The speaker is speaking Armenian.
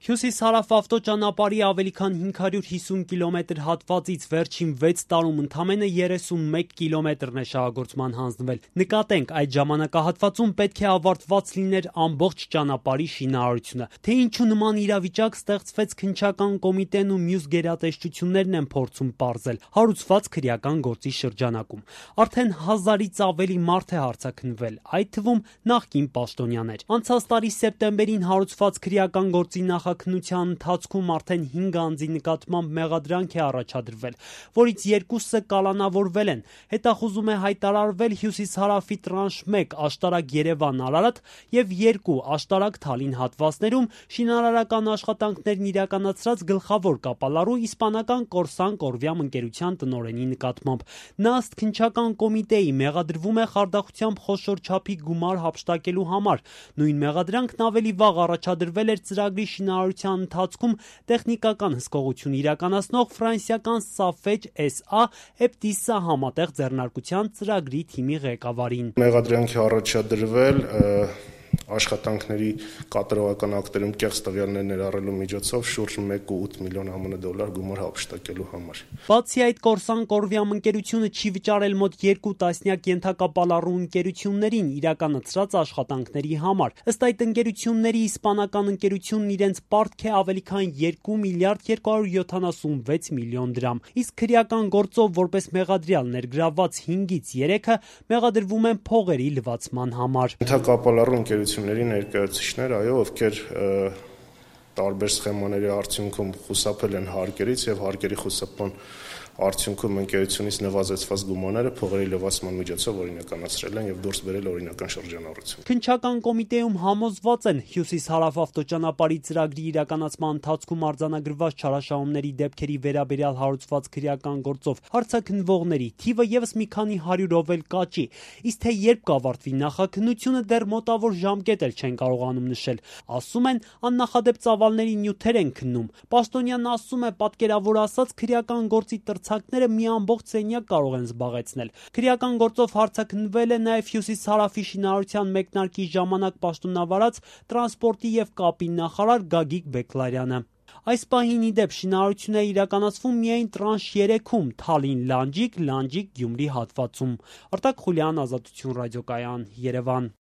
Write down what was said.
Հյուսիս-հարավ ավտոճանապարհի ավելի քան 550 կիլոմետր հատվածից վերջին 6 տարում ընդամենը 31 կիլոմետրն է շահագործման հանձնվել։ Նկատենք, այդ ժամանակահատվածում պետք է ավարտված լիներ ամբողջ ճանապարհի շինարարությունը։ Թե ինչու նման իրավիճակ ստեղծվեց, քննչական կոմիտեն ու մյուս գերատեսչություններն են փորձում պարզել հարուցված քրեական գործի շրջանակում։ Արդեն 1000-ից ավելի մարդ է հարձակնվել, այդ թվում նախկին պաշտոնյաներ։ Անցած տարի սեպտեմբերին հարուցված քրեական գործի նախաքննության ընթացքում արդեն 5 անձի նկատմամբ մեղադրանք է առաջադրվել, որից 2-ը կալանավորվել են։ Հետախուզում է հայտարարվել հյուսիս-հարավի տրանշ 1 Աշտարակ-Երևան-Արարատ եւ 2 Աշտարակ-Թալին հատվածներում շինարարական աշխատանքներն իրականացրած գլխավոր կապալառու իսպանական Կորսան Կորվիամ ընկերության տնօրենի նկատմամբ։ Նա ըստ քննչական կոմիտեի մեղադրվում է խարդախությամբ խոշոր չափի գումար հափշտակելու համար։ Նույն մեղադրանքն ավելի վաղ առաջադրվել էր ծրագրի շինարարության ընթացքում տեխնիկական հսկողություն իրականացնող ֆրանսիական Safej SA Eptis-ը համատեղ ձեռնարկության ծրագրի թիմի ղեկավարին։ Մեղադրանքի առաջադրվել աշխատանքների կատարողական ակտերում կեղծ տվյալներ ներառելու միջոցով շուրջ 1.8 միլիոն ԱՄՆ դոլար գումար հափշտակելու համար։ Բացի այդ, Կորսան Կորվիամ ընկերությունը չի վճարել մոտ 2 տասնյակ ենթակապալառու ընկերություններին իրականացրած աշխատանքների համար։ Ըստ այդ ընկերությունների իսպանական ընկերությունն իրենց պարտք է ավելի քան 2 միլիարդ 276 միլիոն դրամ։ Իսկ քրեական գործով որպես մեղադրյալ ներգրավված 5-ից 3-ը մեղադրվում են փողերի լվացման համար։ Ենթակապալառու ընկերությունների ներկայացուցիչներ, ովքեր տարբեր սխեմաների արդյունքում խուսափել են հարկերից եւ հարկերի խուսափման արդյունքում ընկերությունից նվազեցված գումարները փողերի լվացման միջոցով օրինականացրել են եւ դուրս բերել օրինական շրջանառություն։ Քննչական կոմիտեում համոզված են հյուսիս-հարավ ավտոճանապարհի ծրագրի իրականացման ընթացքում արձանագրված չարաշահումների դեպքերի վերաբերյալ հարուցված քրեական գործով հարձակնվողների թիվը եւս մի քանի հարյուրով էլ կաճի։ Իսկ թե երբ կավարտվի նախաքննությունը, դեռ մոտավոր ժամկետ էլ չեն կարողանում նշել։ Ասում են, աննախադեպ ծավալների նյութեր են քննում։ Պաշտոնյանն ասում է, պատկերավոր ասած, քրեական գործի ցակները մի ամբողջ սենյակ կարող են զբաղեցնել։ Քրեական գործով հարձակնվել է նաև հյուսիս-հարավի շինարարության մեկնարկի ժամանակ պաշտոնավարած տրանսպորտի եւ կապի նախարար Գագիկ Բեկլարյանը։ Այս պահին ի դեպ շինարարություն է իրականացվում միայն տրանշ 3-ում Թալին-Լանջիկ, Լանջիկ-Գյումրի հատվածում։ Արտակ Խուլյան, Ազատություն ռադիոկայան, Երևան։